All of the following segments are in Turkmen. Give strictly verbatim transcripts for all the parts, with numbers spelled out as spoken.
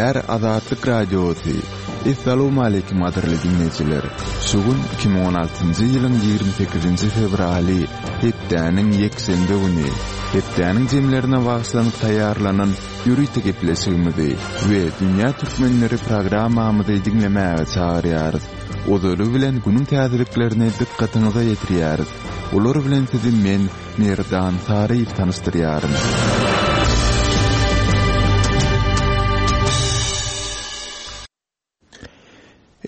Gepleýär Azatlyk Radiosy. Essalawmaleýkim gadyrly diňleýjiler! Şu gün iki müň on altynjy ýylyň ýigrimi sekizinji fewraly, hepdäniň ýekşenbe güni. Hepdäniň jemlerine bagyşlanyp taýýarlanan ýörite gepleşigimizi we Dünýä Türkmenleri programmamyzy diňlemäge çagyrýarys. Ozaly bilen günüň täzeliklerini dykgatyňyza ýetirýäris. Olar bilen sizi men, Merdan Saryýew tanyşdyrýaryn.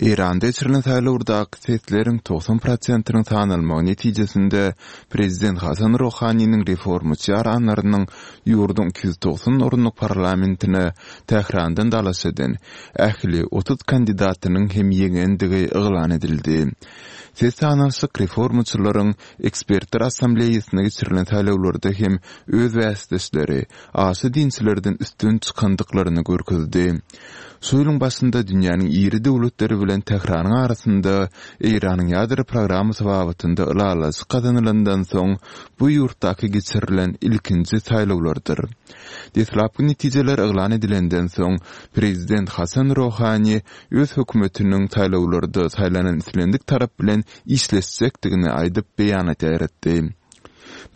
Eýranda geçirilen saýlawdaky sesleriň togsan prosentiniň sanalmagy netijesinde prezident Hasan Ruhaniniň reformaçy ýaranlarynyň ýurduň iki ýüz togsan orunlyk parlamentine Tährandan dalaş eden ähli otuz kandidatynyň hem ýeňendigi yglan edildi. Ses sanalyşyk reformaçylaryň Ekspertler assambleýasynda geçirilen saýlawlarda hem öz bäsdeşleri, aşa dinçilerden üstün çykandyklaryny görkezdi. Şu ýylyň başynda dünýäniň iri döwletleri bilen Tähranyň arasynda Eýranyň ýadro programmasy babatynda ylalaşyk gazanylandan soň bu ýurtdaky geçirilen ilkinji saýlawlardyr. Deslapky netijeler yglan edilenden soň, prezident Hasan Rohani öz hökümetiniň saýlawlarda saýlanan islendik tarap bilen işleşjekdigini aýdyp beýanat ýaýratdy.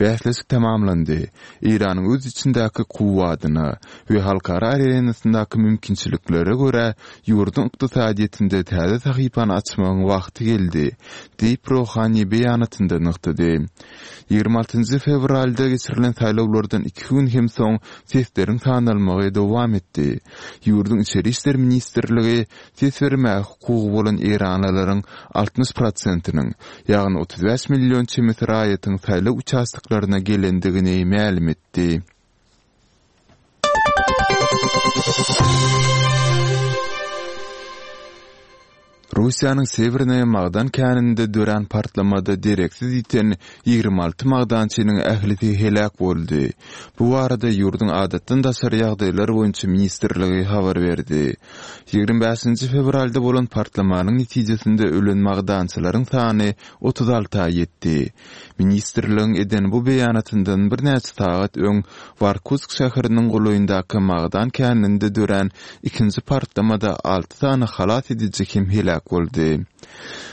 Bäsleşik tamamlandy. Eýranyň öz içindäki kuwwadyna we halkara arenasyndaky mümkinçiliklere görä ýurduň ykdysadyýetinde täze sahypany açmagyň wagty geldi, diýip Rohani beýanatynda nygtady. Ýigrimi altynjy fewralda geçirilen saýlawlardan iki gün hem soň sesleriň sanalmagy dowam etdi. Ýurduň Içeri işler ministrligi Ses bermäge hukugy bolan eýranlylaryň altmyş prosentiniň, ýagny otuz bäş million çemesi raýatyň saýlaw uçastoklaryna gelendigini mälim etdi. Russiýanyň Sewernaýa magdan käninde dörän partlamada dereksiz ýiten ýigrimi alty magdançynyň ählisi heläk boldy. Bu barada ýurduň Adatdan daşary ýagdaýlar boýunça ministrligi habar berdi. Ýigrimi bäşinji fewralda bolan partlamanyň netijesinde ölen magdançylaryň sany otuz alta ýetdi. Ministrligiň eden bu beýanatyndan birnäçe sagat öň Warkusk şäheriniň golaýyndaky magdan käninde dörän ikinji partlamada alty sany halas ediji hem heläk boldy.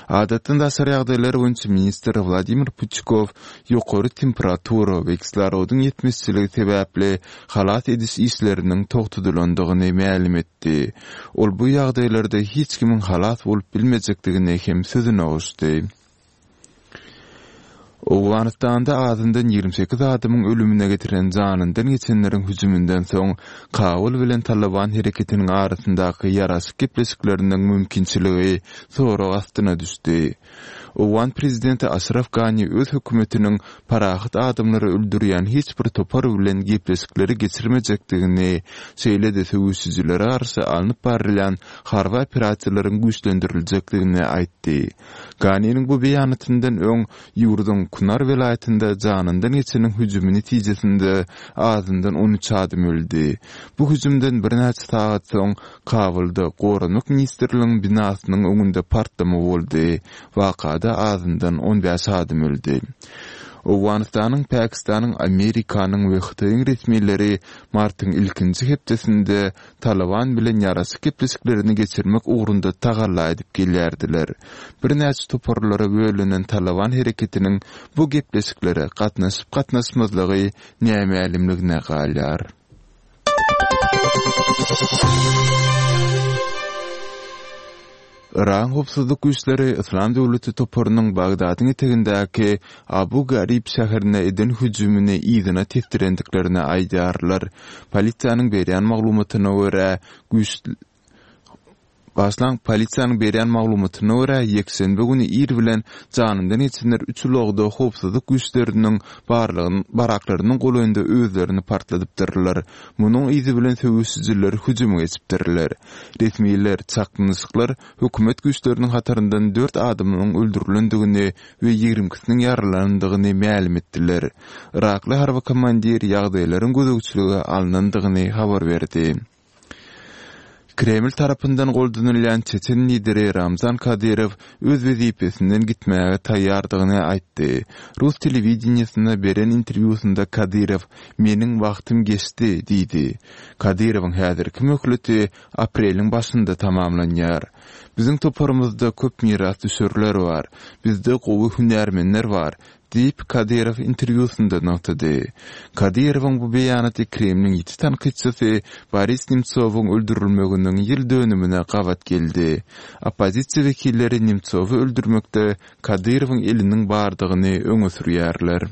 Adatdan daşary ýagdaýlar boýunça ministr Wladimir Puçkow ýokary temperatura we kislorodyň ýetmezçiligi sebäpli halas ediş işleriniň togtadylandygyny mälim etdi. Ol bu ýagdaýlarda hiç kimiň halas bolup bilmejekdigini hem sözüne goşdy. Owganystanda azyndan ýigrimi sekiz adamyň ölümine getiren janyndan geçenleriň hüjüminden soň Kabul bilen Talyban hereketiniň arasyndaky ýaraşyk gepleşikleriniň mümkinçiligi sorag astyna düşdi. Owgan prezidenti Aşraf Gani öz hökümetiniň parahat adamlary öldürýän hiç bir topar bilen gepleşikleri geçirmejekdigini, şeýle-de söweşijilere garşy alnyp barylýan harby operasiýalaryň güýçlendiriljekdigini aýtdy. Ganiniň bu beýanatyndan öň ýurduň Kunar welaýatynda janyndan geçeniň hüjümi netijesinde azyndan on üç adam öldi. Bu hüjümden birnäçe sagat soň Kabulda Goranmak ministrliginiň binasynyň öňünde partlama boldy. Wakada azyndan on bäş adam öldi. Owganystanyň, Pakistanyň, Amerikanyň we Hytaýyň resmileri martyň ilkinji hepdesinde Talyban bilen ýaraşyk gepleşiklerini geçirmek ugrunda tagalla edip gelýärdiler. Birnäçe toparlara bölünen Talyban hereketiniň bu gepleşiklere gatnaşyp-gatnaşmazlygy nämälimligine galýar. Yragyň howpsuzlyk güýçleri Yslam döwleti toparynyň Bagdadyň etegindäki Abu Garib şäherine eden hüjümini yzyna tesdirendiklerini aýdýarlar. Polisiýanyň berýän maglumatyna görä, güýç Başlaň, polisiýanyň berýän maglumatyna görä, ýekşenbe güni ir bilen janyndan geçenler üç ulagda howpsuzlyk güýçleriniň baraklarynyň golaýynda özlerini partladypdyrlar. Munuň yzy bilen söweşijiler hüjüme geçipdirler. Resmiler çaknyşyklar hökümet güýçleriniň hataryndan dört adamynyň öldürilendigini we ýigrimi ikisiniň ýaralanandygyny mälim etdiler. Yrakly harby komandir ýagdaýlaryň gözegçilige alnandygyny habar berdi. Kreml tarapyndan goldanylýan çeçen lideri Ramzan Kadyrow öz wezipesinden gitmäge taýýardygyny aýtdy. Rus telewideniýesine beren interwýusynda Kadyrow Meniň wagtym geçdi diýdi. Kadyrowyň häzirki möhleti apreliň başynda tamamlanýar. Biziň toparymyzda köp mirasdüşerler bar. Bizde gowy hünärmenler bar, diýip, Kadyrow interwýusynda nygtady. Kadyrowyň bu beýanaty Kremliň ýiti tankytçysy Boris Nemtsowyň öldürilmeginiň ýyl dönümine gabat geldi. Oppozisiýa wekilleri Nemtsowy öldürmekde Kadyrowyň eliniň bardygyny öňe sürýärler.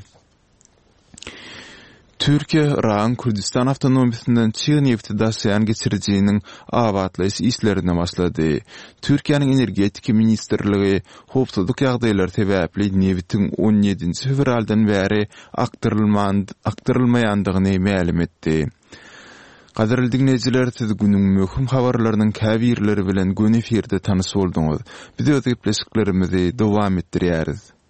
Türkiýe Yragyň Kürdüstan awtonomiýasyndan çig nebti daşaýan geçirijiniň abatlaýyş işlerine başlady. Türkiýäniň Energetika ministrligi howpsuzlyk ýagdaýlary sebäpli nebitiň on ýedinji fewraldan bäri akdyrylmaýandygyny mälim etdi. Gadyrly diňleýjiler, siz günüň möhüm habarlarynyň käbirleri bilen göni efirde tanyş bolduňyz. Biz öz gepleşiklerimizi dowam etdirýäris.